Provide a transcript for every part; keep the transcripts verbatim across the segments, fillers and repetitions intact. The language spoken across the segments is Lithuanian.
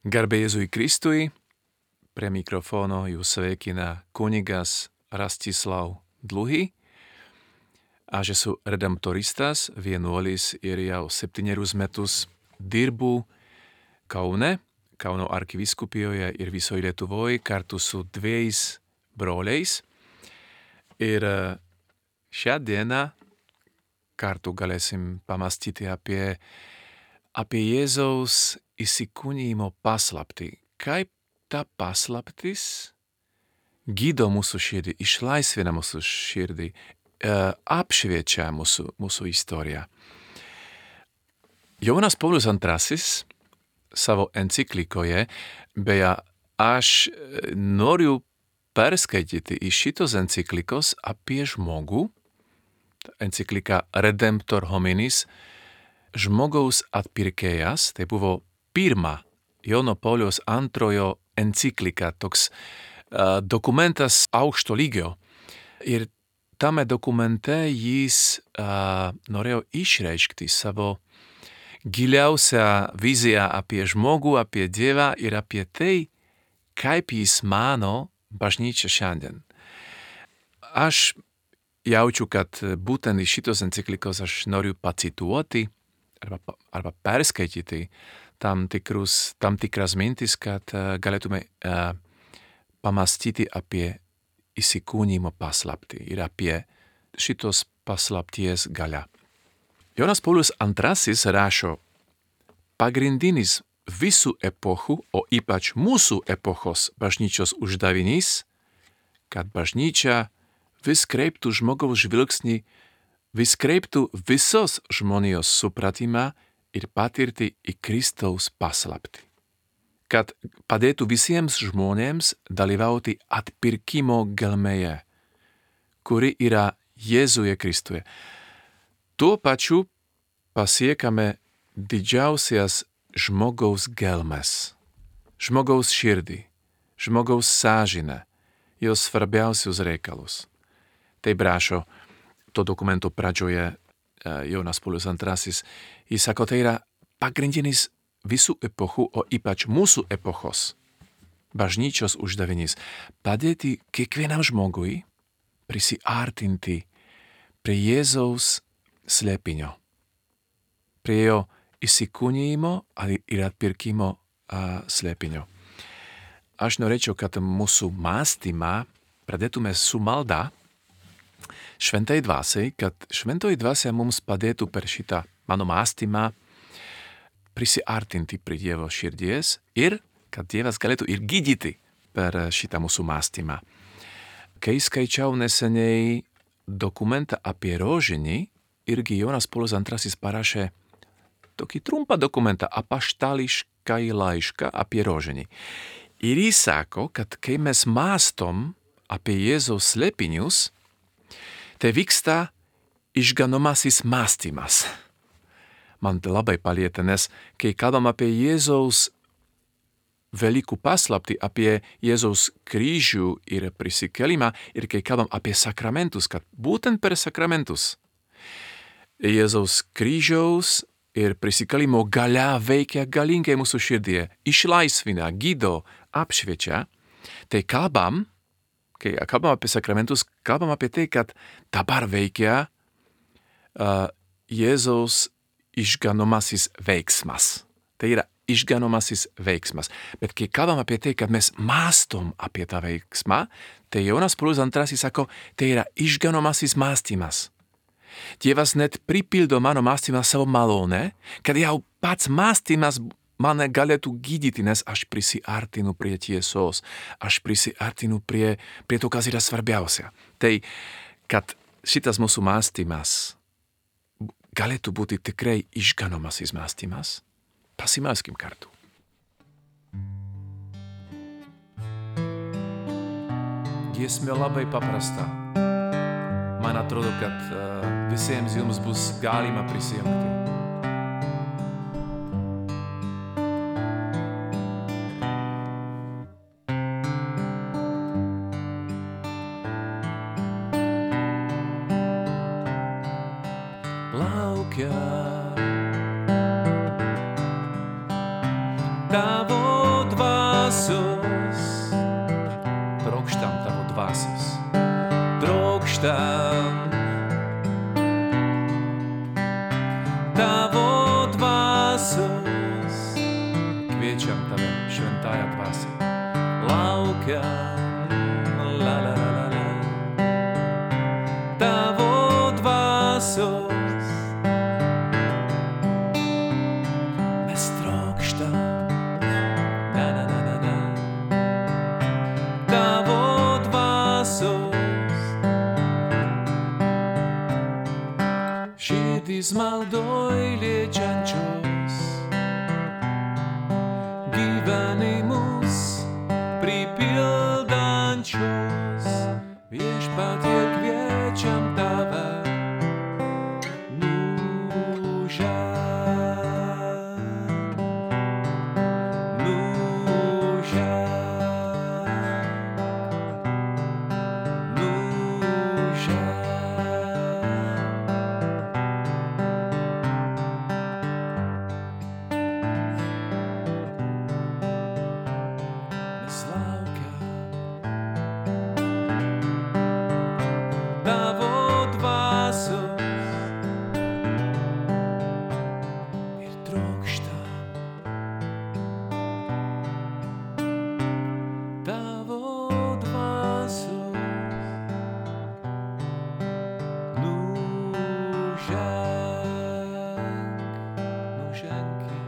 Garbė Jėzui Kristui, prie mikrofono jūs sveikina kunigas Rastislau Dluhy a že esu redemptoristas, vienuolis ir jau septynerius metus dirbu Kaune, Kauno arkivyskupijoje ir visoj Lietuvoj kartu su dviejais broliais. Ir šią dieną kartu galėsim pamastyti apie, apie Jėzaus įsikūnijimo paslaptį. Kaip ta paslaptis gydo mūsų širdį, išlaisvina mūsų širdį, apšviečia mūsų, mūsų istoriją. Jonas Paulius antrasis savo enciklikoje, beje, aš noriu perskaityti iš šitos enciklikos apie žmogų, enciklika Redemptor hominis, žmogaus atpirkėjas, tai buvo pirma Jono Pauliaus antrojo enciklika, toks uh, dokumentas aukšto lygio. Ir tame dokumente jis uh, norėjo išreikšti savo giliausią viziją apie žmogų, apie Dievą ir apie tai, kaip jis mano bažnyčia šiandien. Aš jaučiu, kad būtent iš šitos enciklikos aš noriu pacituoti arba, arba perskaityti tam, tikrus, tam tikras mintis, kad uh, galėtume uh, pamastyti apie įsikūnijimo paslaptį ir apie šitos paslapties galią. Jonas Paulius antrasis rašo, pagrindinis visų epochų, o ypač mūsų epochos bažnyčios uždavinys, kad bažnyčia vis kreiptų žmogaus žvilgsnį, vis kreiptų visos žmonijos supratimą ir patirti į Kristaus paslaptį. Kad padėtų visiems žmonėms dalyvauti atpirkimo gelmėje, kuri yra Jėzuje Kristuje. Tuo pačiu pasiekame didžiausias žmogaus gelmes, žmogaus širdį, žmogaus sąžinę, jos svarbiausius reikalus. Taip rašo to dokumento pradžioje Jonas Paulius antrasis. Jis sako, tai yra pagrindinis visų epochų, o ypač mūsų epochos bažnyčios uždavinys padėti kiekvienam žmogui prisiartinti prie Jėzaus slėpinio, prie jo įsikūnijimo ir atpirkimo uh, slėpinio. Aš norėčiau, kad mūsų mąstymą pradėtume su malda šventai dvasiai, kad šventoji dvasia mums padėtų per šitą mano mąstymą prisiartinti prie Dievo širdies ir kad Dievas galėtų ir gydyti per šitą mūsų mąstymą. Kai skaičiau neseniai dokumentą apie rožinį, irgi Jonas Paulius antrasis parašė tokį trumpą dokumentą, apaštališką laišką apie rožinį. Ir jis sako, kad kai mes mąstom apie Jėzaus slėpinius, tai vyksta išganomasis mąstymas. Man labai palieta, nes kai kalbam apie Jėzaus Velykų paslaptį, apie Jėzaus kryžių ir prisikėlimą, ir kai kalbam apie sakramentus, kad būtent per sakramentus Jėzaus kryžiaus ir prisikėlimo galia veikia galingai mūsų širdie, išlaisvina, gydo, apšviečia, tai kalbam, kai kalbam apie sakramentus, kalbam apie tai, kad dabar veikia uh, Jėzaus išganomasis veiksmas. Tai yra išganomasis veiksmas. Bet kai kalbam apie tai, kad mes mąstom apie tą veiksmą, tai Jonas Paulius antrasis sako, tai yra išganomasis mąstymas. Dievas net pripildo mano mąstymą savo malonę, kad jau pats mąstymas mane galėtų gydyti, nes aš prisiartinu prie tiesos, aš prisiartinu prie, prie to, kas yra svarbiausia. Tai, kad šitas mūsų mąstymas galėtų būti tikrai išganomasis mąstymas, pasimelskim kartu. Giesmė labai paprasta. Man atrodo, kad uh, visiems jums bus galima prisijungti. Laukia tavo dvasios, trokštam tavo dvasios, trokštam tavo dvasios, kviečiam tave, šventąja dvasia, laukiam, la la la la la, tavo dvasios. Širdis maldoj liečiančios, gyvenimus pripildančios, viešpatie kviečiam tave, nuženk, nuženk, nuženk. Tavo dvasios ir trokštam tavo dvasios, nuženk, nuženki,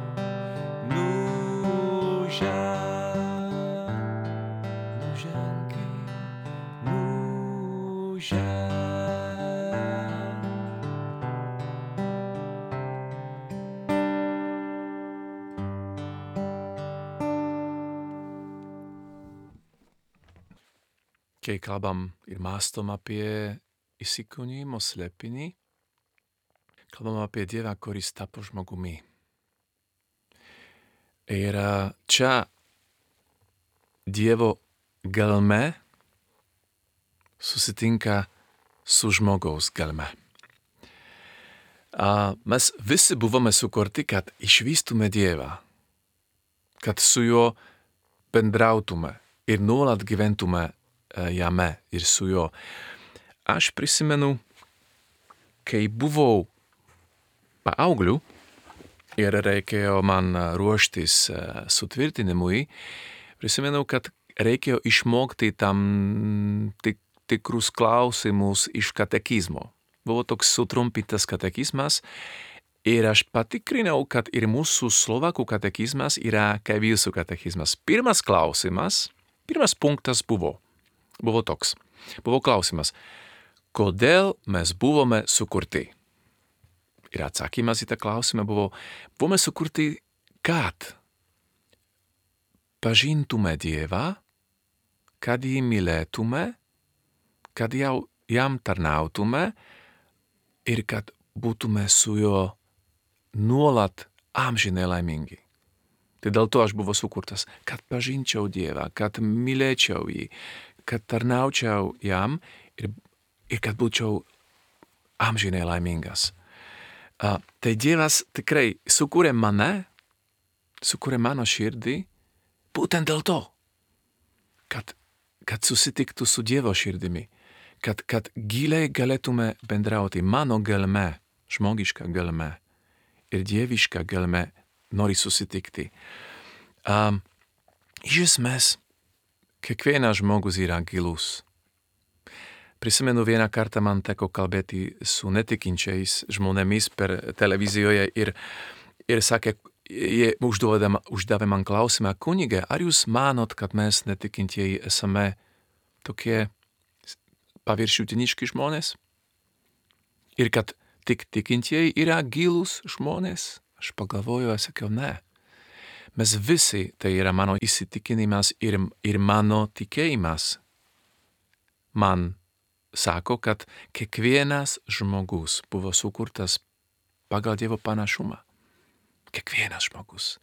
nuženk, nuženki, nuženk. Kai kalbam ir mąstom apie įsikūnijimo slėpinį, kalbam apie Dievą, kuris tapo žmogumi. Ir čia Dievo gelme susitinka su žmogaus gelme. A mes visi buvome sukurti, kad išvystume Dievą, kad su juo bendrautume ir nuolat gyventume jame ir su juo. Aš prisimenu, kai buvau paaugliu ir reikėjo man ruoštis sutvirtinimui, prisimenu, kad reikėjo išmokti tam tik, tikrus klausimus iš katekizmo. Buvo toks sutrumpintas katekizmas ir aš patikrinau, kad ir mūsų slovakų katekizmas yra kaip jūsų katekizmas. Pirmas klausimas, pirmas punktas buvo, buvo toks. Buvo klausimas, kodėl mes buvome sukurti? Ir atsakymas į tą klausimą buvo, buvome sukurti, kad pažintume Dievą, kad jį mylėtume, kad jau jam tarnautume ir kad būtume su juo nuolat amžinai laimingi. Tai dėl to aš buvau sukurtas, kad pažinčiau Dievą, kad mylėčiau jį, kad tarnaučiau jam ir, ir kad būčiau amžinai laimingas. Uh, tai Dievas tikrai sukūrė mane, sukūrė mano širdį, būtent dėl to, kad, kad susitiktų su Dievo širdimi, kad, kad giliai galėtume bendrauti mano gelme, žmogiška gelme ir dieviška gelme nori susitikti. Um, iš esmės, kiekvienas žmogus yra gilus. Prisimenu, vieną kartą man teko kalbėti su netikinčiais žmonėmis per televizijoje ir, ir sakė, jie uždavė man klausimą, kunige, ar jūs manot, kad mes netikintieji esame tokie paviršutiniški žmonės? Ir kad tik tikintieji yra gilus žmonės? Aš pagalvoju, aš sakiau, ne. Mes visi, tai yra mano įsitikinimas ir, ir mano tikėjimas. Man sako, kad kiekvienas žmogus buvo sukurtas pagal Dievo panašumą. Kiekvienas žmogus.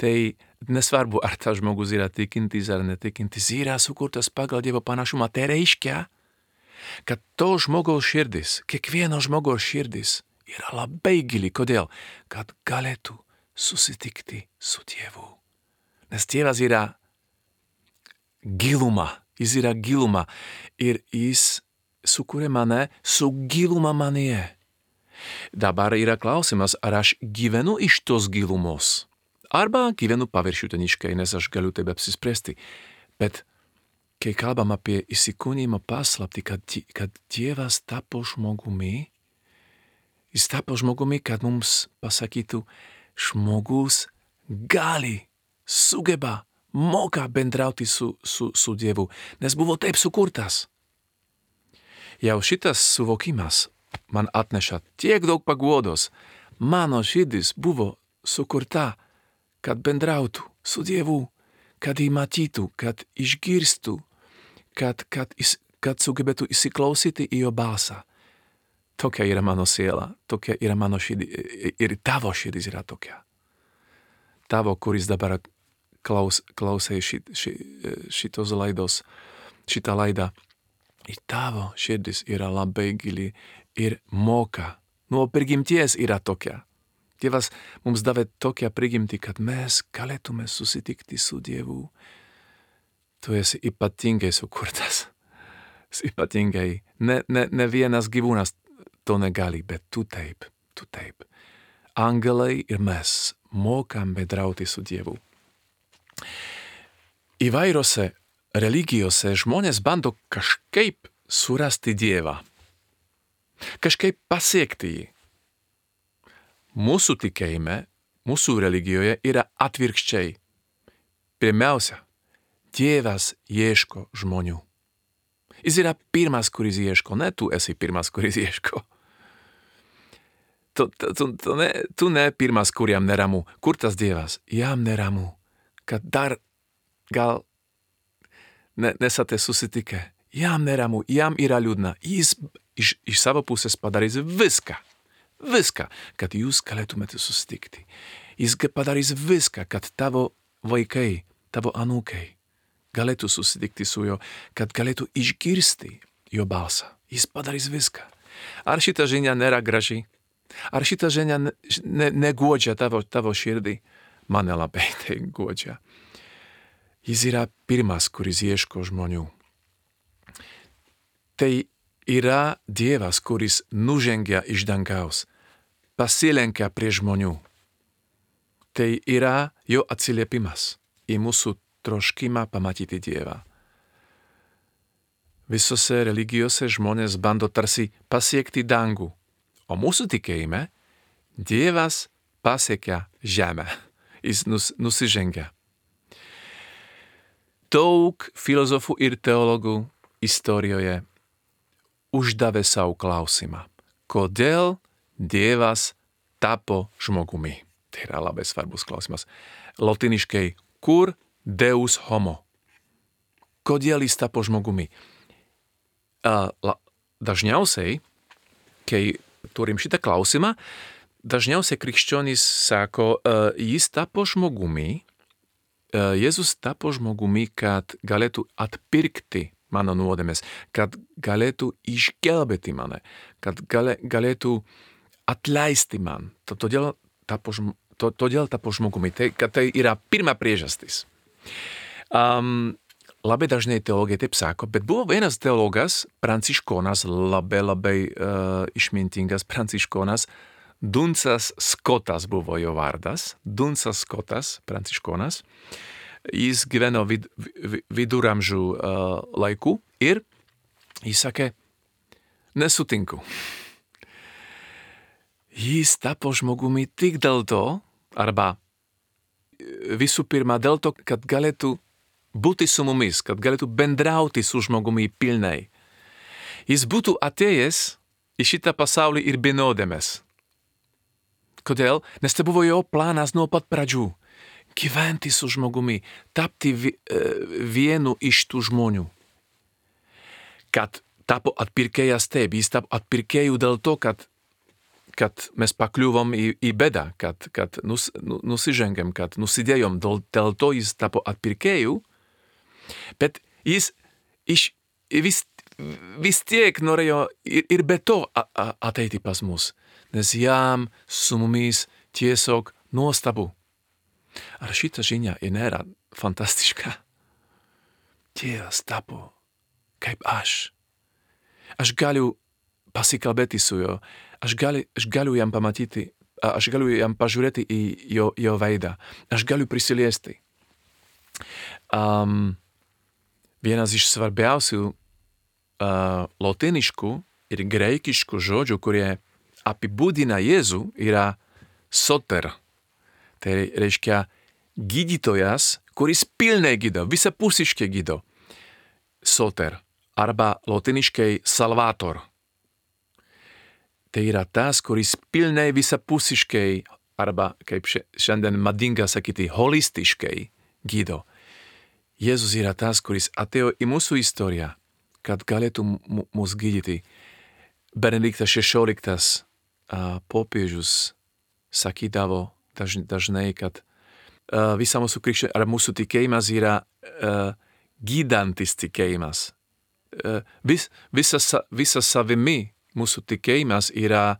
Tai nesvarbu, ar tas žmogus yra tikintis ar netikintis, yra sukurtas pagal Dievo panašumą. Tai reiškia, kad to žmogaus širdis, kiekvieno žmogaus širdis yra labai gili. Kodėl? Kad galėtų susitikti su Dievu. Nes Dievas yra gilumā. Jis yra gilumā. Ir jis sukūrė mane su giluma manyje. Dabar yra klausimas, ar aš gyvenu iš tos gilumos. Arba gyvenu paviršutiniškai, nes aš galiu taip apsispręsti. Bet kai kalbam apie įsikūnijimo paslaptį, kad, kad Dievas tapo žmogumi, jis tapo žmogumi, kad mums pasakytų, žmogus gali, sugeba, moka bendrauti su, su, su Dievu, nes buvo taip sukurtas. Jau šitas suvokimas man atneša tiek daug paguodos. Mano širdis buvo sukurta, kad bendrautų su Dievu, kad jį matytų, kad išgirstų, kad, kad, kad sugebėtų įsiklausyti į jo balsą. Tokia yra mano siela, tokia yra mano širdis, ir tavo širdis yra tokia. Tavo, kuris dabar klaus, klausai šit, šit, šitos laidos, šitą laidą, ir tavo širdis yra labai gili ir moka. Nuo prigimties yra tokia. Dievas mums davė tokią prigimtį, kad mes galėtume susitikti su Dievu. Tu esi ypatingai sukurtas. Ypatingai. Ne, ne, ne vienas gyvūnas to negali, bet tu taip, tu taip. Angelai ir mes mokam bendrauti su Dievu. Įvairiose religijose žmonės bando kažkaip surasti Dievą. Kažkaip pasiekti jį. Mūsų tikėjime, mūsų religijoje yra atvirkščiai. Pirmiausia, Dievas ieško žmonių. Jis yra pirmas, kuris ieško, ne tu esi pirmas, kuris ieško. Tu, tu, tu, ne, tu ne pirmas, kuriam neramu. Kur tas Dievas? Jam neramu. Kad dar gal ne, nesate susitikę. Jam neramu, jam yra liūdna. Jis iš, iš savo pusės padarys viską. Viską, kad jūs galėtumėte susitikti. Jis padarys viską, kad tavo vaikai, tavo anūkai galėtų susitikti su juo, kad galėtų išgirsti jo balsą. Jis padarys viską. Ar šita žinia nėra graži? Ar šita žinia ne, ne, neguodžia tavo, tavo širdį? Mane labai tai guodžia. Jis yra pirmas, kuris ieško žmonių. Tai yra Dievas, kuris nužengia iš dangaus, pasilenkia prie žmonių. Tai yra jo atsiliepimas į mūsų troškimą pamatyti Dievą. Visose religijose žmonės bando tarsi pasiekti dangų, o mūsų tikėjime Dievas pasiekia žemę. Jis nus, nusižengia. Daug filozofų ir teologų istorijoje uždavė savo klausimą. Kodėl Dievas tapo žmogumi? Tai yra labai svarbus klausimas. Lotyniškai, kur Deus homo? Kodėl jis tapo žmogumi? Dažniausiai, kai turim šitą klausimą, dažniausiai krikščionys sako, jis tapo žmogumi, Jėzus tapo žmogumi, kad galėtų atpirkti mano nuodėmes, kad galėtų išgelbėti mane, kad gali, galėtų atleisti man. Todėl tapo, to, todėl tapo žmogumi, tai, kad tai yra pirma priežastis. Um, labai dažnai teologai taip sako, bet buvo vienas teologas, pranciškonas, labai labai uh, išmintingas pranciškonas, Dunsas Skotas buvo jo vardas, Dunsas Skotas, pranciškonas. Jis gyveno vid, vid, viduramžių uh, laikų ir jis sakė, nesutinku. Jis tapo žmogumi tik dėl to, arba visų pirma dėl to, kad galėtų būti su mumis, kad galėtų bendrauti su žmogumi pilnai. Jis būtų atėjęs į šitą pasaulį ir be nuodėmės. Kodėl? Nes tai buvo jo planas nuo pat pradžių. Gyventi su žmogumi, tapti vi, vienu iš tų žmonių. Kad tapo atpirkėjas taip, jis tapo atpirkėjų dėl to, kad, kad mes pakliuvom į, į bėdą, kad, kad nus, nusižengėm, kad nusidėjom, dėl, dėl to jis tapo atpirkėjų, bet jis iš, vis, vis tiek norėjo ir, ir be to ateiti pas mus. Nes jam su mumis tiesiog nuostabu. Ar šita žinia nėra fantastiška? Dievas tapo kaip aš. Aš galiu pasikalbėti su juo, aš, gali, aš galiu jam pamatyti, aš galiu jam pažiūrėti į jo, jo veidą, aš galiu prisiliesti. Um, vienas iš svarbiausių uh, lotyniškų ir graikiškų žodžių, kurie apibūdina Jėzų, yra soter. Tai reiškia gydytojas, kuris pilnai gydo, visapusiškai gydo. Soter, arba lotyniškai salvator. Tai yra tas, kuris pilnai visapusiškai, arba kaip šiandien madinga sakyti, holistiškai gydo. Jėzus yra tas, kuris atėjo į mūsų istoriją, kad galėtų mus gydyti. Benediktas šešioliktas uh, popiežius sakydavo daž, dažnai, kad uh, visa mūsų krikščionybė, ar mūsų tikėjimas yra uh, gydantis tikėjimas. Uh, vis, visa, visa savimi mūsų tikėjimas yra,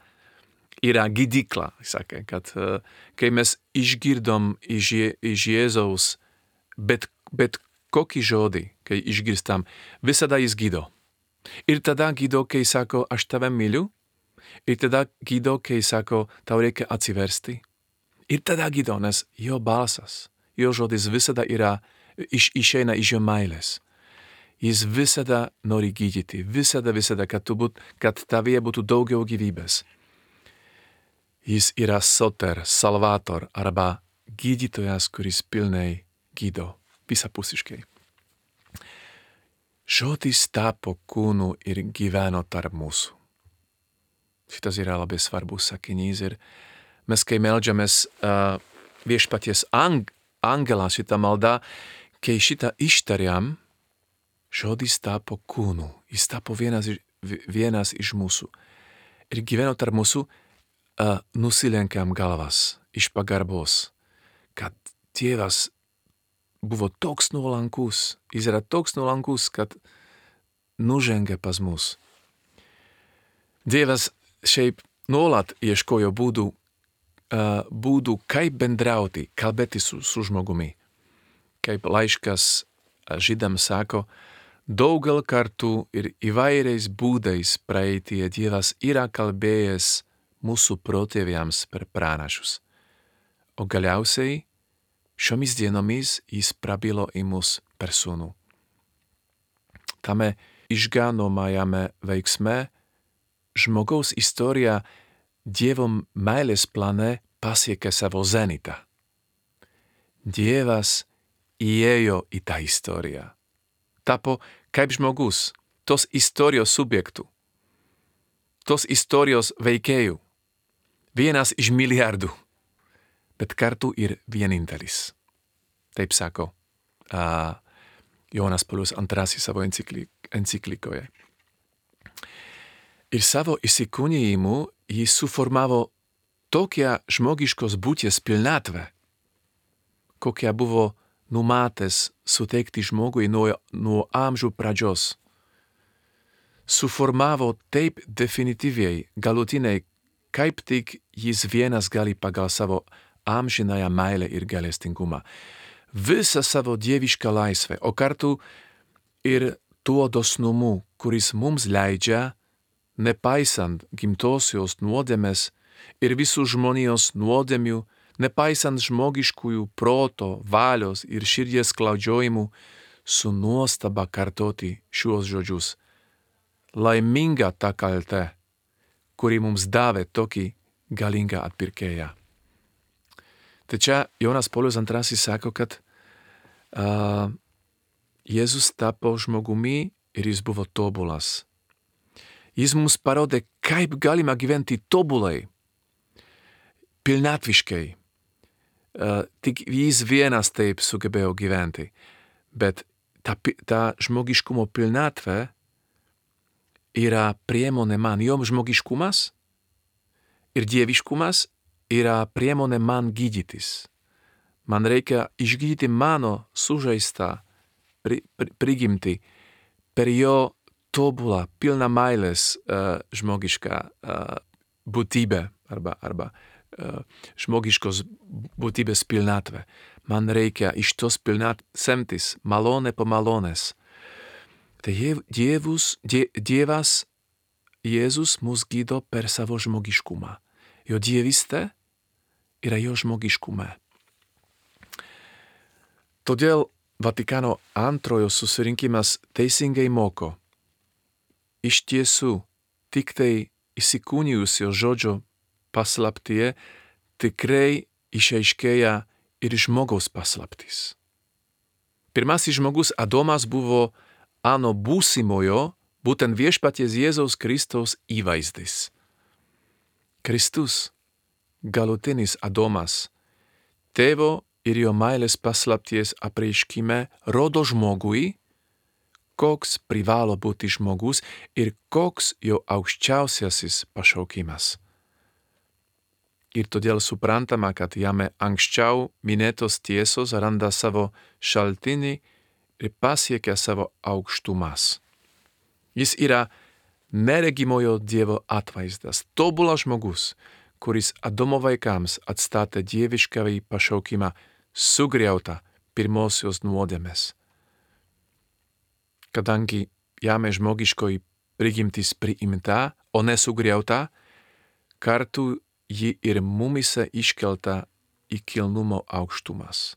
yra gydykla. Sakė, kad uh, kai mes išgirdom iš, iš Jėzaus bet, bet kokį žodį, kai išgirstam, visada jis gydo. Ir tada gydo, kai sako, aš tave myliu. Ir tada gydo, kai sako, tau reikia atsiversti. Ir tada gydo, nes jo balsas, jo žodis visada yra, iš, išeina iš jo meilės. Jis visada nori gydyti, visada, visada, kad, būt, kad tavyje būtų daugiau gyvybės. Jis yra soter, salvator, arba gydytojas, kuris pilnai gydo, visapusiškai. Žodis tapo kūnu ir gyveno tarp mūsų. Šitas yra labai svarbus sakinys ir mes, kai meldžiamės uh, viešpaties ang angelą šitą maldą, kai šitą ištariam, žodis tapo kūnu, jis tapo vienas, vienas iš mūsų. Ir gyveno tarp mūsų, uh, nusilenkiam galvas iš pagarbos, kad Dievas buvo toks nuolankus, jis yra toks nuolankus, kad nužengė pas mus. Dievas šiaip nuolat ieškojo būdų, uh, būdų kaip bendrauti, kalbėti su, su žmogumi. Kaip laiškas žydams sako, daugel kartų ir įvairiais būdais praeityje Dievas yra kalbėjęs mūsų protėviams per pranašus. O galiausiai šiomis dienomis jis prabilo į mus per sūnų. Tame išganomajame veiksme žmogaus istorija Dievo meilės plane pasiekė savo zenitą. Dievas įėjo į tą istoriją. Tapo kaip žmogus, tos istorijos subjektų, tos istorijos veikėjų, vienas iš milijardų, bet kartu ir vienintelis. Taip sako uh, Jonas Paulius antrasis savo enciklik, enciklikoje. Ir savo įsikūnijimu jis suformavo tokią žmogiškos būties pilnatvę, kokią buvo numatęs suteikti žmogui nuo, nuo amžių pradžios. Suformavo taip definityviai, galutiniai, kaip tik jis vienas gali pagal savo amžinąją meilę ir gailestingumą. Visą savo dievišką laisvę, o kartu ir tuo dosnumu, kuris mums leidžia, nepaisant gimtosios nuodėmės ir visų žmonijos nuodėmių, nepaisant žmogiškųjų proto, valios ir širdies klaudžiojimų, su nuostaba kartoti šiuos žodžius. Laiminga ta kaltė, kuri mums davė tokį galingą atpirkėją. Tai čia Jonas Paulius antrasis sako, kad uh, Jėzus tapo žmogumi ir jis buvo tobulas. Jis mums parodė, kaip galima gyventi tobulai, pilnatviškai. Uh, tik jis vienas taip sugebėjo gyventi. Bet ta, ta žmogiškumo pilnatvė yra priemonė man. Jo žmogiškumas ir dieviškumas yra priemonė man gydytis. Man reikia išgydyti mano sužeistą pri, pri, prigimtį per jo tobulą, pilną meilės uh, žmogišką uh, būtybę arba, arba uh, žmogiškos būtybės pilnatvę. Man reikia iš tos pilnat semtis malonę po malonės, Tai Dievus, die, Dievas Jėzus mus gydo per savo žmogiškumą. Jo dievystė yra jo žmogiškume. Todėl Vatikano antrojo susirinkimas teisingai moko. Iš tiesų, tik tai įsikūnijusio žodžio paslaptyje tikrai išaiškėja ir žmogaus paslaptis. Pirmasis žmogus Adomas buvo ano būsimojo, būtent viešpaties Jėzaus Kristaus įvaizdis. Kristus, galutinis Adomas, tėvo ir jo meilės paslapties apreiškime rodo žmogui, koks privalo būti žmogus ir koks jo aukščiausiasis pašaukimas. Ir todėl suprantama, kad jame anksčiau minėtos tiesos randa savo šaltinį ir pasiekia savo aukštumas. Jis yra neregimojo Dievo atvaizdas, tobulas žmogus, kuris Adomo vaikams atstatė dieviškąjį pašaukimą sugriautą pirmosios nuodėmės. Kadangi jame žmogiškoji prigimtis priimta, o nesugriauta, kartu ji ir mumise iškelta į kilnumo aukštumas.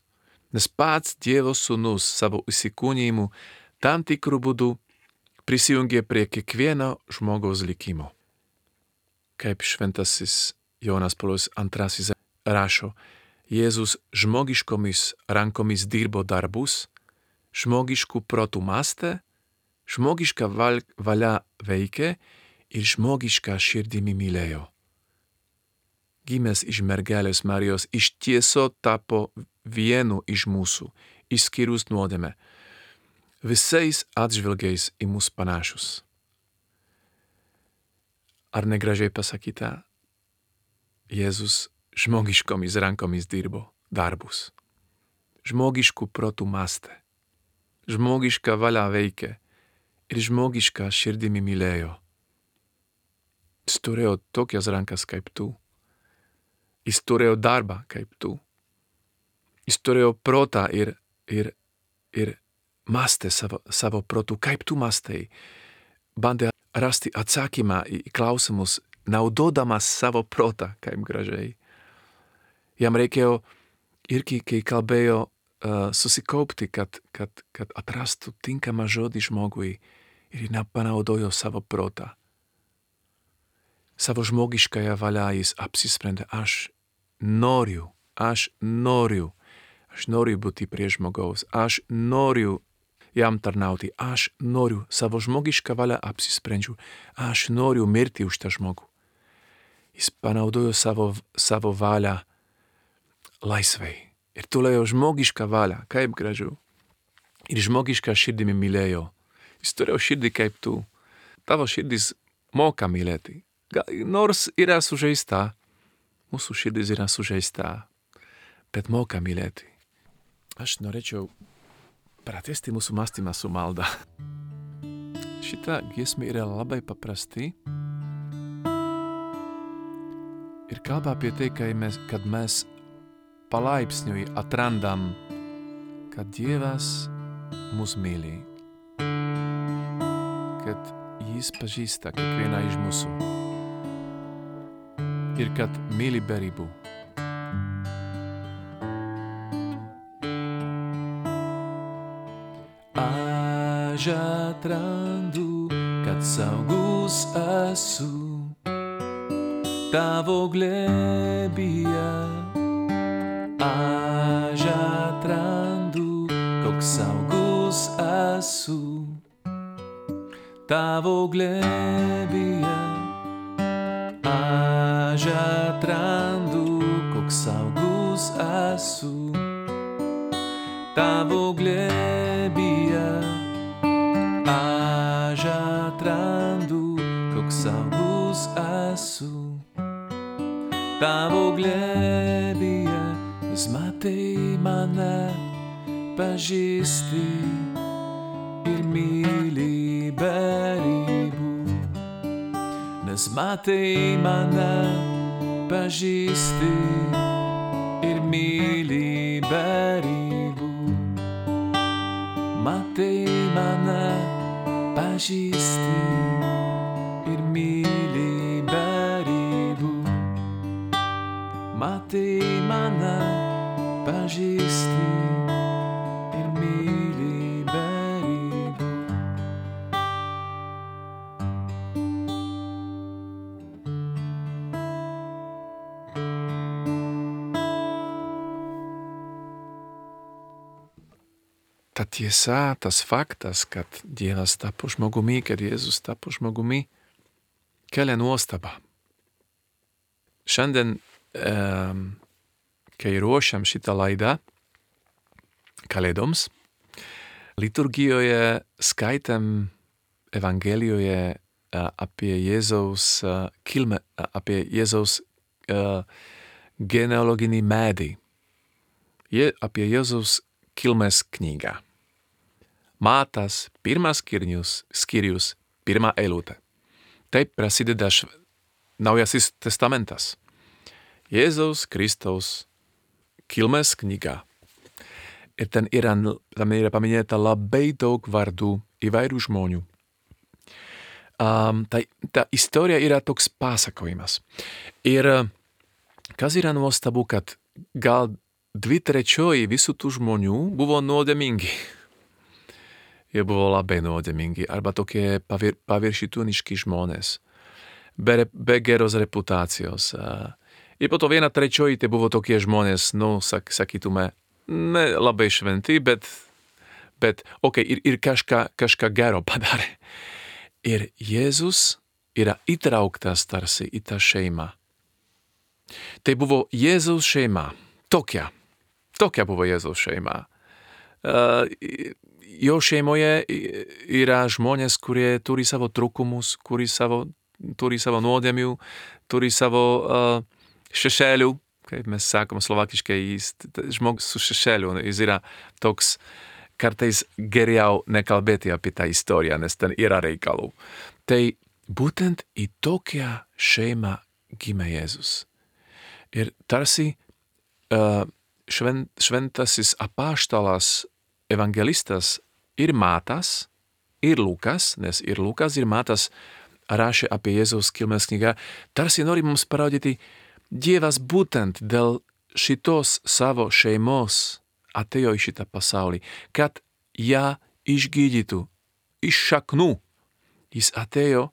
Nes pats Dievo sūnus savo įsikūnijimu tam tikrų būdų prisijungė prie kiekvieno žmogaus likimo. Kaip šventasis Jonas Paulius antrasis rašo, Jėzus žmogiškomis rankomis dirbo darbus, žmogiškų protų mąstė, žmogiška valia veikė ir žmogiška širdimi mylėjo. Gimęs iš mergelės Marijos iš tieso tapo vienu iš mūsų, išskyrus nuodėmę, visais atžvilgiais į mus panašus. Ar negražiai pasakyta? Jėzus žmogiškomis rankomis dirbo darbus. Žmogiškų protų mąstė, žmogiška valia veikė ir žmogiška širdimi mylėjo. Jis turėjo tokias rankas kaip tu. Jis turėjo darbą kaip tu. Jis turėjo protą ir, ir, ir mąstė savo, savo protų, kaip tu mąstai. Bandė rasti atsakymą į klausimus, naudodamas savo protą, kaip gražiai. Jam reikėjo irgi, kai kalbėjo, uh, susikaupti, kad, kad, kad atrastų tinkamą žodį žmogui ir nepanaudojo savo protą. Savo žmogiškąją valią jis apsisprendė, aš noriu, aš noriu, aš noriu būti prie žmogaus, aš noriu jam tarnauti, aš noriu, savo žmogišką valią apsisprendžiu, aš noriu mirti už tą žmogų. Jis panaudojo savo, savo valią laisvai ir turėjo žmogišką valią, kaip gražu. Ir žmogišką širdimi mylėjo. Jis turėjo širdį kaip tu. Tavo širdis moka mylėti. Nors yra sužeista, mūsų širdis yra sužeista, bet moka mylėti. Aš norėčiau pratęsti mūsų mąstymą su malda. Šita giesmė yra labai paprasti ir kalba apie tai, kad mes palaipsniui atrandam, kad Dievas mus myli, kad jis pažįsta kiekvieną iš mūsų ir kad myli be ribų. Aš atrandu, kad saugus esu tavo glėbyje. Aš atrandu, koks saugus esu tavo glėbyje. Aš atrandu, koks saugus esu tavo glėbyje. Aš atrandu, koks saugus esu tavo glėbyje. Nes matai mane, pažįsti ir myli be ribų. Nes matai mane, pažįsti ir myli be ribų. Matai mane, pažįsti ir myli be ribų. Matai mane, pažįsti ir myli be ribų. Ta tiesa, tas faktas, kad Dievas tapo žmogumi, kad Jėzus tapo žmogumi, kelia nuostabą. Šiandien, um, kai ruošiam šitą laidą Kalėdoms, liturgijoje skaitėm Evangelijoje uh, apie Jėzaus uh, kilmę, uh, apie Jėzaus uh, genealoginį medį, Je, apie Jėzaus kilmės knygą. Matas, pirmas skyrius, skyrius, pirma eilutė. Taip prasideda šv... Naujasis testamentas. Jėzaus Kristaus kilmės knyga. Ir ten yra, tam yra paminėta labai daug vardų įvairių žmonių. Um, ta, ta istorija yra toks pasakojimas. Ir kas yra nuostabu, kad gal dvi trečioji visų tų žmonių buvo nuodėmingi. Jie buvo labai nuodėmingi, arba tokie pavir, paviršituniški žmonės, be, be geros reputacijos. Ir po to viena trečioji tai buvo tokie žmonės, nu, sak, sakytume, ne labai šventi, bet, bet okei, okay, ir, ir kažką, kažką gero padarė. Ir Jėzus yra įtrauktas tarsi į tą šeimą. Tai buvo Jėzaus šeima, tokia, tokia buvo Jėzaus šeima. Uh, jo šeimoje yra žmonės, kurie turi savo trūkumus, kurie savo, turi savo nuodėmių, turi savo uh, šešėlių, kaip mes sakom slovakiškai, jis žmogus su šešėliu, jis yra toks, kartais geriau nekalbėti apie tą istoriją, nes ten yra reikalų. Tai būtent į tokią šeimą gimė Jėzus. Ir tarsi uh, švent, šventasis apaštalas, evangelistas ir Matas, ir Lukas, nes ir Lukas, ir Matas rašė apie Jėzaus kilmės knygą, tarsi nori mums parodyti, Dievas būtent dėl šitos savo šeimos atėjo į šitą pasaulį, kad ją išgydytų iš šaknų. Jis atėjo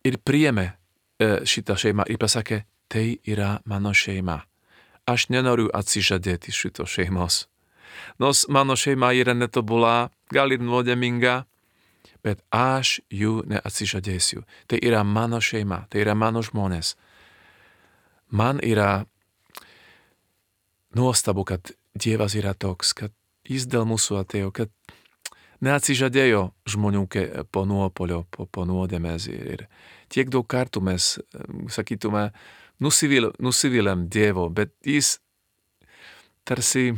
ir priėmė šitą šeimą ir pasakė, tai yra mano šeima. Aš nenoriu atsižadėti šito šeimos. Nos mano šeima yra netobulá, gal ir nuodėminga, bet aš jų neatsižadėsiu. Tai yra mano šeima, tai yra mano žmonės. Man yra nuostabu, kad Dievas yra toks, kad jis dėl mūsų atėjo, kad neatsižadėjo žmonių po nuopolio, po, po nuodėmės. Ir tiek daug kartų mes, sakytume, nusivil, nusiviliam Dievo, bet jis tarsi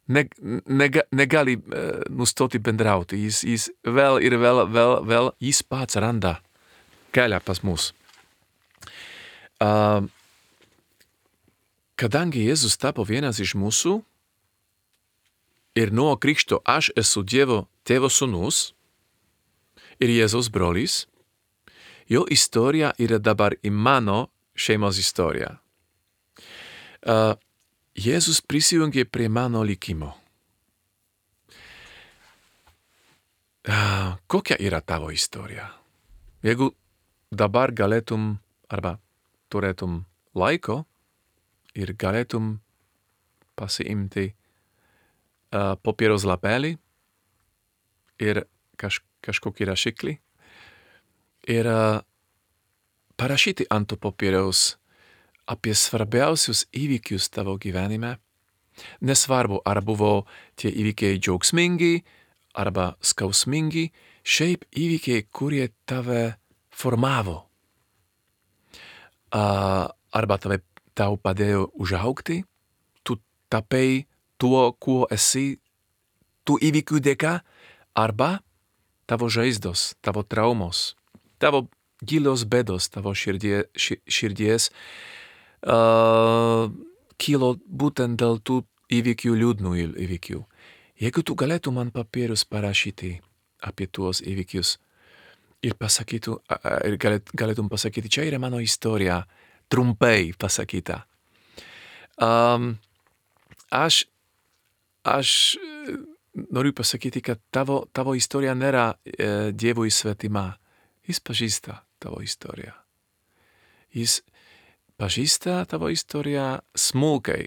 Ne, nega, negali uh, nustoti bendrauti. Jis, jis vēl ir vēl, vēl, vēl jis pats randa kelią pas mus. Uh, kadangi Jėzus tapo vienas iš mūsų ir nuo krikšto aš esu Dievo tėvo sūnus ir Jėzaus brolis, jo istorija yra dabar į mano šeimos istorija. Uh, Jėzus prisijungė prie mano likimo. Uh, kokia yra tavo istorija? Jeigu dabar galėtum, arba turėtum laiko ir galėtum pasiimti uh, popieros lapelį ir kaž, kažkokį rašiklį ir uh, parašyti ant to popieriaus apie svarbiausius įvykius tavo gyvenime. Nesvarbu, ar buvo tie įvykiai džiaugsmingi, arba skausmingi, šiaip įvykiai, kurie tave formavo. Uh, arba tave, tau padėjo užaugti, tu tapai tuo, kuo esi, tų įvykių dėka, arba tavo žaizdos, tavo traumos, tavo gilios bėdos, tavo širdie, ši, širdies, Uh, kilo būtent dėl tų įvykių, liūdnų įvykių. Jeigu tu galėtum man papirus parašyti apie tuos įvykius ir pasakytų, ir galėt, galėtum pasakyti, čia yra mano istorija, trumpai pasakyta. Um, aš, aš noriu pasakyti, kad tavo, tavo istorija nėra e, Dievui svetima. Jis pažįsta tavo istoriją. Jis pažįsta tavo istoriją smulkai.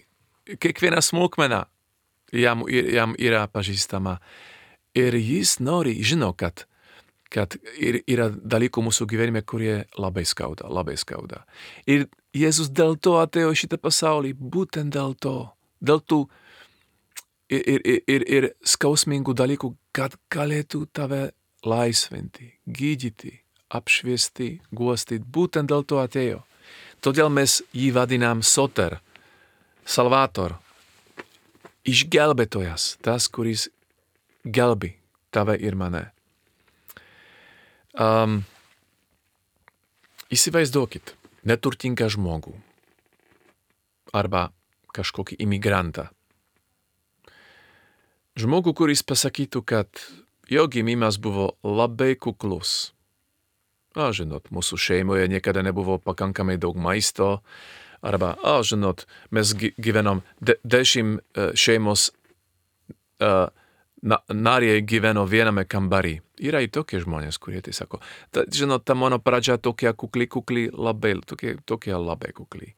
Kiekviena smulkmena jam, jam yra pažįstama. Ir jis nori, žino, kad, kad ir, yra dalykų mūsų gyvenime, kurie labai skauda, labai skauda. Ir Jėzus dėl to atėjo šitą pasaulį, būtent dėl to, dėl tų ir, ir, ir, ir skausmingų dalykų, kad galėtų tave laisvinti, gydyti, apšviesti, guostyti, būtent dėl to atėjo. Todėl mes jį vadinām Soter, Salvator, išgelbėtojas, tas, kuris gelbi tave ir mane. Um, įsivaizduokit neturtingą žmogų arba kažkokį imigrantą. Žmogų, kuris pasakytų, kad jo gimimas buvo labai kuklus. A, žinot, mūsų šeimoje niekada nebuvo pakankamai daug maisto, arba, a, žinot, mes gyvenom, de, dešimt uh, šeimos uh, na, nariai gyveno viename kambarį. Yra i tokie žmonės, kurie tai sako. Ta, žinot, ta mano pradžia tokia kukli, kukli, labai, tokie, tokie labai kukli.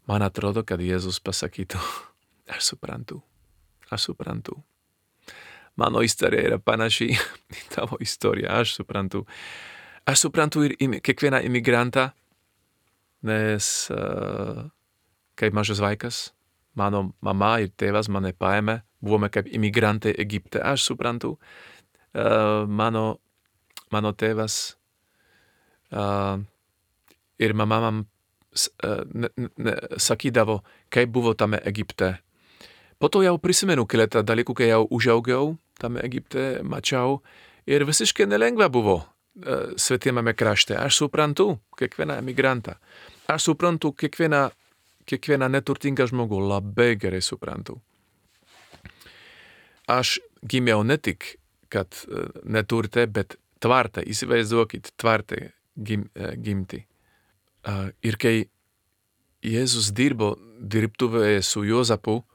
Man atrodo, kad Jėzus pasakytų, aš suprantu, aš suprantu. Mano istorija yra panaši į tavo istoriją, aš suprantu. Aš suprantu ir im, kiekvieną imigrantą, nes uh, kaip mažas vaikas, mano mama ir tėvas mane paėmė, buvome kaip imigrantai Egipte. Aš suprantu, uh, mano, mano tėvas uh, ir mama man uh, ne, ne, sakydavo, kaip buvo tame Egipte. Po to jau prisimenu keletą dalykų, kai jau užaugau tame Egipte, mačiau, ir visiškai nelengva buvo uh, svetimame krašte. Aš suprantu kiekvieną emigrantą. Aš suprantu kiekvieną, kiekvieną neturtingą žmogų, labai gerai suprantu. Aš gimiau ne tik, kad uh, neturte, bet tvarte, įsivaizduokit, tvarte gim, uh, gimti. Uh, ir kai Jėzus dirbo dirbtuvėje su Jozapu,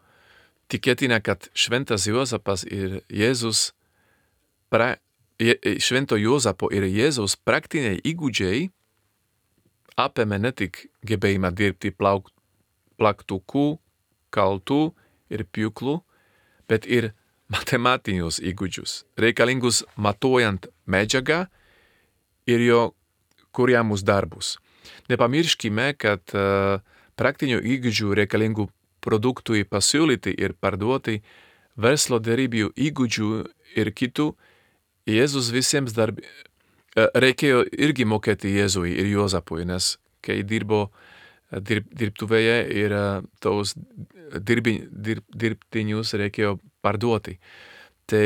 tikėtina, kad šventas Jozapas ir Jėzus, pra, je, švento Jozapo ir Jėzus praktiniai įgūdžiai apėmė ne tik gebėjimą dirbti plauk, plaktuku, kaltu ir pjūklu, bet ir matematinius įgūdžius, reikalingus matuojant medžiagą ir jo kuriamus darbus. Nepamirškime, kad uh, praktinių įgūdžių reikalingų produktui pasiūlyti ir parduoti, verslo derybų įgūdžių ir kitų, Jėzus visiems darbi, reikėjo irgi mokėti Jėzui ir Jozapui, nes kai dirbo dirb, dirbtuvėje ir tos dirbi, dirb, dirbtinius reikėjo parduoti. Tai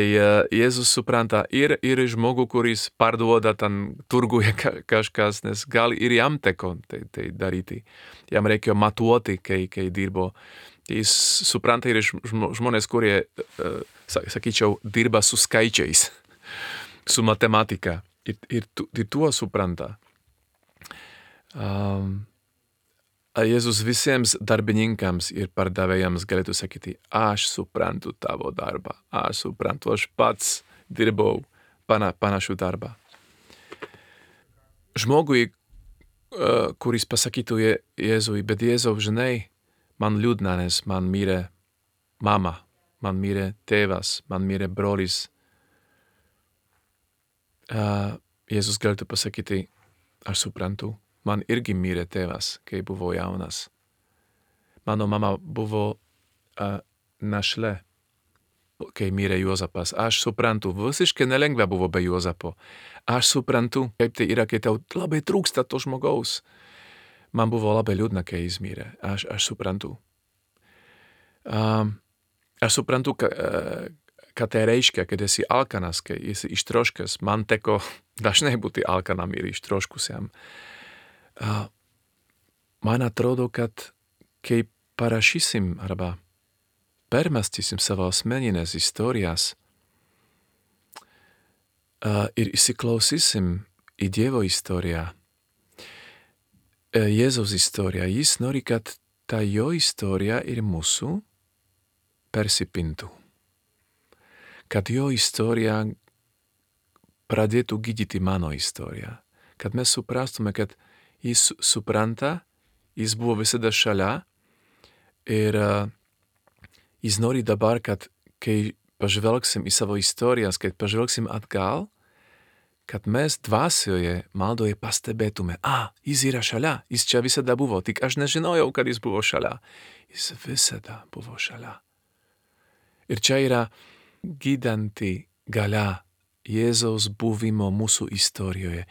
Jėzus supranta ir, ir žmogų, kuris parduoda ten turguje kažkas, nes gal ir jam teko tai, tai daryti. Jam reikėjo matuoti, kai, kai dirbo. Jis supranta ir žmonės, kurie, sakyčiau, dirba su skaičiais, su matematika. Ir, ir, ir tuo supranta. Um, Jėzus visiems darbininkams ir pardavėjams galėtų sakyti, aš suprantu tavo darbą, aš suprantu, aš pats dirbau pana, panašų darbą. Žmogui, uh, kuris pasakytų Je, Jėzui, bet Jėzau, žinai, man liūdna, nes man mirė mama, man mirė tėvas, man mirė brolis. Uh, Jėzus galėtų pasakyti, aš suprantu. Man irgi mirė tėvas, kai buvo jaunas. Mano mama buvo uh, našlė, kai mirė Jozapas. Aš suprantu, visiškai nelengva buvo be Jozapo. Aš suprantu, kaip tai yra, kai tau labai trūksta to žmogaus. Man buvo labai liūdna, kai jis mirė. Aš, aš suprantu. Um, aš suprantu, ka, uh, ką tai reiškia, kad esi alkanas, kai esi ištroškęs. Man teko dažnai būti alkanam ir ištroškusiam. Uh, man atrodo, kad kai parašysim arba permąstysim savo asmeninės istorijas, ir įsiklausysim į Dievo istoriją, Jėzaus istoriją. Jis nori, kad ta jo istorija ir mūsų persipintų. Kad jo istorija pradėtų gydyti mano istoriją. Kad mes suprastume, kad jis supranta, jis buvo visada šalia ir uh, jis nori dabar, kad kai pažvelgsim į savo istorijas, kad pažvelgsim atgal, kad mes dvasioje, maldoje pastebėtume, a, jis yra šalia, jis čia visada buvo, tik aš nežinojau, kad jis buvo šalia. Jis visada buvo šalia. Ir čia yra gydanti galia Jėzaus buvimo mūsų istorijoje.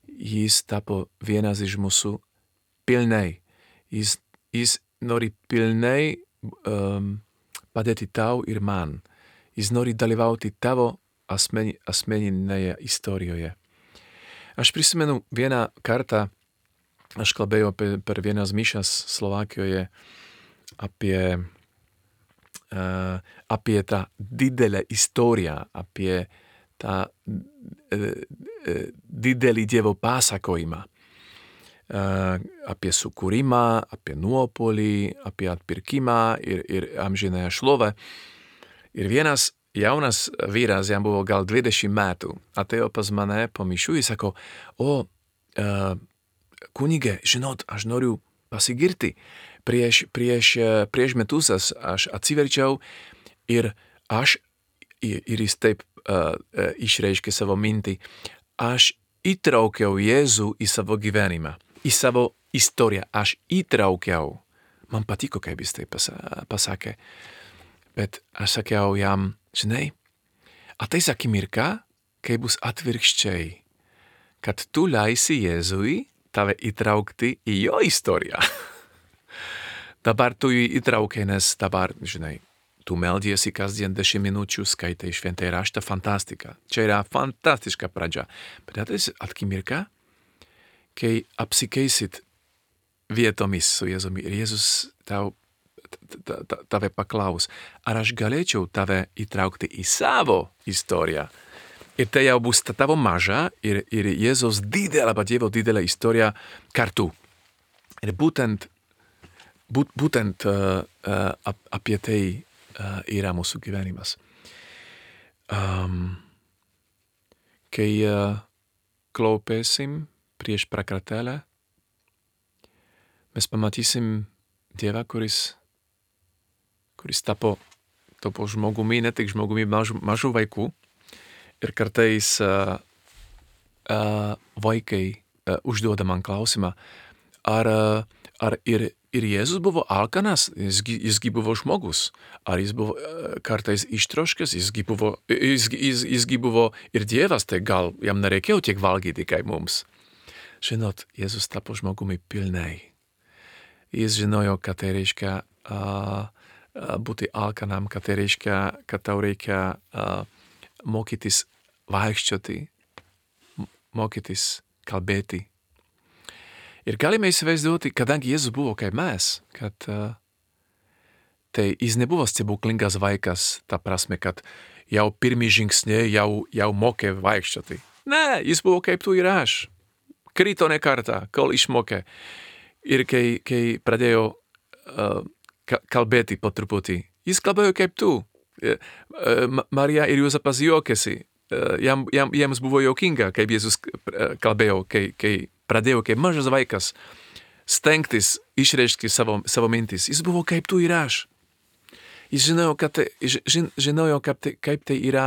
Jis tapo vienas iš mūsų pilnai. Jis, jis nori pilnai um, padėti tau ir man. Jis nori dalyvauti tavo asmeni, asmeninėje istorijoje. Aš prisimenu vieną kartą, aš kalbėjau per, per vienas mišas Slovakijoje apie, uh, apie tą didelę istoriją, apie tą didelį Dievo pasakojimą, apie sukūrimą, apie nuopolį, apie atpirkimą ir, ir amžinąją šlovę. Ir vienas jaunas vyras, jam buvo gal dvidešimt metų, atėjo pas mane po mišių ir sako, o, uh, kunige, žinot, aš noriu pasigirti. Prieš, prieš, prieš metus aš atsiverčiau ir aš, ir jis taip Uh, uh, išreiškė savo mintį. Aš įtraukiau Jėzų į savo gyvenimą, į savo istoriją. Aš įtraukiau. Man patiko, kaip jis tai pasakė. Bet aš sakiau jam, žinai, ateis akimirka, kai bus atvirkščiai, kad tu leisi Jėzui tave įtraukti į jo istoriją. Dabar tu jį įtraukai, nes dabar, žinai, tu meldiesi kasdien dešimt minučių, skaitai šventąjį raštą, fantastika. Čia yra fantastiška pradžia. Bet ateis akimirka, kai apsikeisit vietomis su Jėzumi ir Jėzus tau, tave paklaus, ar aš galėčiau tave įtraukti į savo istoriją. Ir tai jau bus tavo maža ir, ir Jėzus didelė, arba Dievo didelė istorija kartu. Ir būtent, būt, būtent uh, uh, apie tai Uh, yra mūsų gyvenimas. Um, kai uh, klaupėsim prieš prakartėlę, mes pamatysim Dievą, kuris, kuris tapo, tapo žmogumi, ne tik žmogumi mažų, mažų vaikų. Ir kartais uh, uh, vaikai uh, užduoda man klausimą, ar, uh, ar ir Ir Jėzus buvo alkanas, jisgi, jisgi buvo žmogus. Ar jis buvo kartais ištroškęs, jisgi buvo, jisgi, jis, jisgi buvo ir Dievas, tai gal jam nereikėjo tiek valgyti kaip mums. Žinot, Jėzus tapo žmogumi pilnai. Jis žinojo, kad tai reiškia uh, būti alkanam, kad tai reiškia, kad tau reikia uh, mokytis vaikščioti, mokytis kalbėti. Ir galime įsivaizduoti, kadangi Jėzus buvo kaip mes, kad uh, tai jis nebuvo stebuklingas vaikas, ta prasme, kad jau pirmi žingsniai jau, jau mokė vaikščioti. Ne, jis buvo kaip tu ir aš. Krito ne kartą, kol išmokė. Ir kai, kai pradėjo uh, kalbėti po truputį, jis kalbėjo kaip tu. Uh, uh, Marija ir Juozapas juokėsi. Uh, jam, jam, jiems buvo juokinga, kaip Jėzus uh, kalbėjo, kai, kai pradėjo kaip mažas vaikas stengtis išreiškti savo, savo mintis. Jis buvo kaip tu ir aš. Jis žinojo, kad tai, žin, žinojo kaip, tai, kaip tai yra,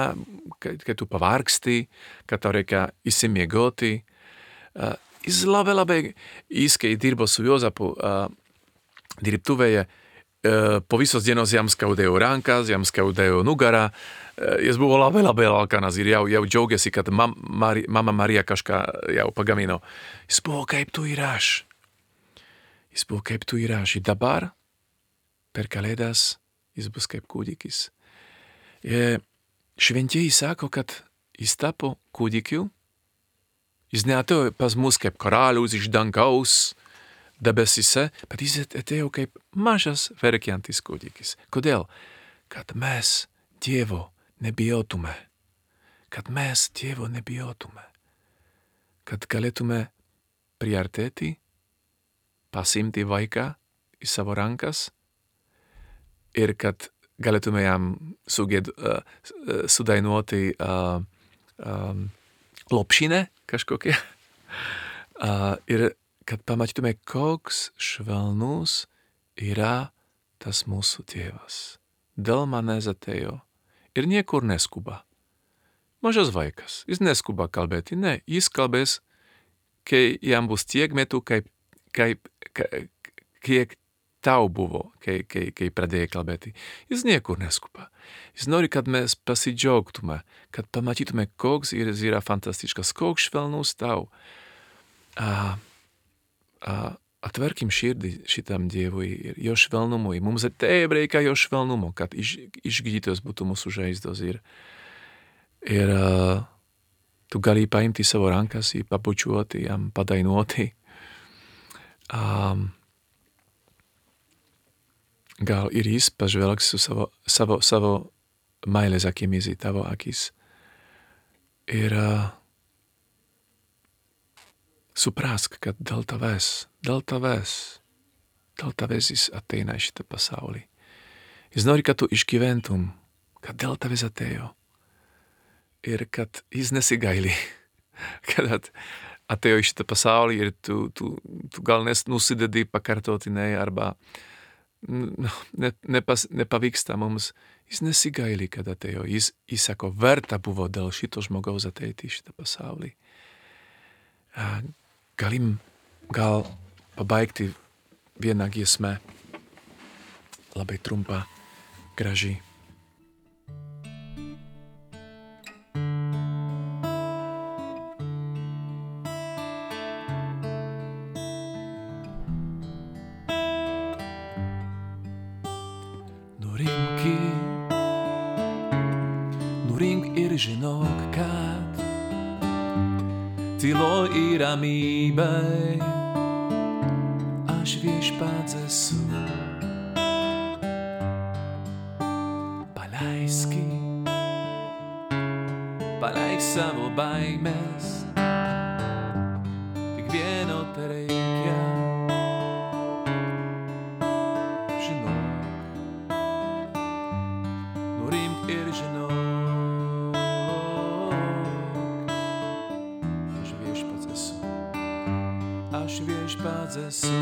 kad, kad tu pavargsti, kad tau reikia įsimiegoti. Uh, jis labai, labai, jis, kai dirbo su Juozapu uh, dirbtuvėje, uh, po visos dienos jam skaudėjo rankas, jam skaudėjo nugarā. Uh, jis buvo labai, labai alkanas ir jau, jau džiaugiasi, kad mam, Mari, mama Marija kažką jau pagamino. Jis buvo kaip tu ir aš. Jis buvo kaip tu ir aš. Ir dabar, per kalėdas, jis bus kaip kūdikis. E, šventieji sako, kad jis tapo kūdikiu. Jis neatėjo pas mus kaip karalius iš dangaus debesise, bet jis atėjo kaip mažas verkiantis kūdikis. Kodėl? Kad mes Dievo nebijotume. kad mes Dievo nebijotume, kad galėtume priartėti, pasimti vaiką į savo rankas ir kad galėtume jam suged, uh, sudainuoti uh, um, lopšinę kažkokią uh, ir kad pamatytume, koks švelnus yra tas mūsų tėvas. Dėl manęs atėjo ir niekur neskuba. Mažas vaikas, jis neskuba kalbėti, ne, jis kalbės, kai jam bus tiek metų, kaip, kaip, kaip, kiek tau buvo, kai, kai, kai pradėjai kalbėti. Jis niekur neskuba. Jis nori, kad mes pasidžiaugtume, kad pamatytume, koks jis yra fantastiškas, koks švelnus tau. A, a, atverkim širdį šitam Dievui ir jo švelnumui. Mums taip reikia jo švelnumo, kad iš, išgydytos būtų mūsų žaizdos. Ir, ir uh, tu gali paimti savo rankas, pabučiuoti, jam padainuoti. Um, gal ir jis pažvelgs su savo, savo, savo meilės akimis į tavo akis. Ir uh, suprask, kad dėl tavęs, dėl tavęs, dėl tavęs jis ateina į šitą pasaulį. Jis nori, kad tu išgyventum, kad dėl tavęs atėjo. Ir kad jis nesigaili, kad atėjo į šitą pasaulį ir tu, tu, tu gal nes nusidedi pakartotinai arba no, ne, nepas, nepavyksta mums. Jis nesigaili, kad atėjo. Jis, jis sako, verta buvo dėl šito žmogaus ateiti į šitą pasaulį. Galim gal pabaigti vieną giesmę, labai trumpą, graži. Nurimki, nurink ir žinok, kad tylo ir ramybei aš viešpats esu. Paleiski, paleik savo baimes, tik vieno te reikia. Žinok, nurimk ir žinok, aš viešpats esu.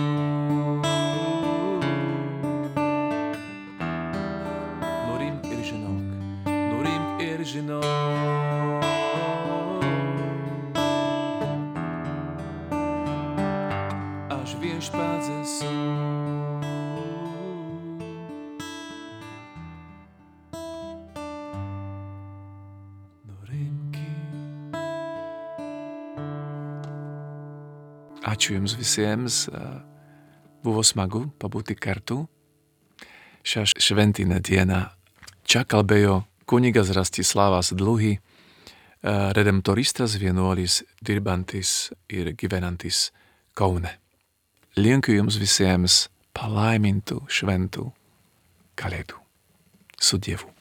Nurimk ir žinok, nurimk ir žinok, aš viešpats esu. Ačiū jums visiems, buvo smagu pabūti kartu. Šią šventinę dieną čia kalbėjo kunigas Rastislavas Dluhy, redemptoristas vienuolis, dirbantis ir gyvenantis Kaune. Linkiu jums visiems palaimintų šventų kalėdų. Su Dievu.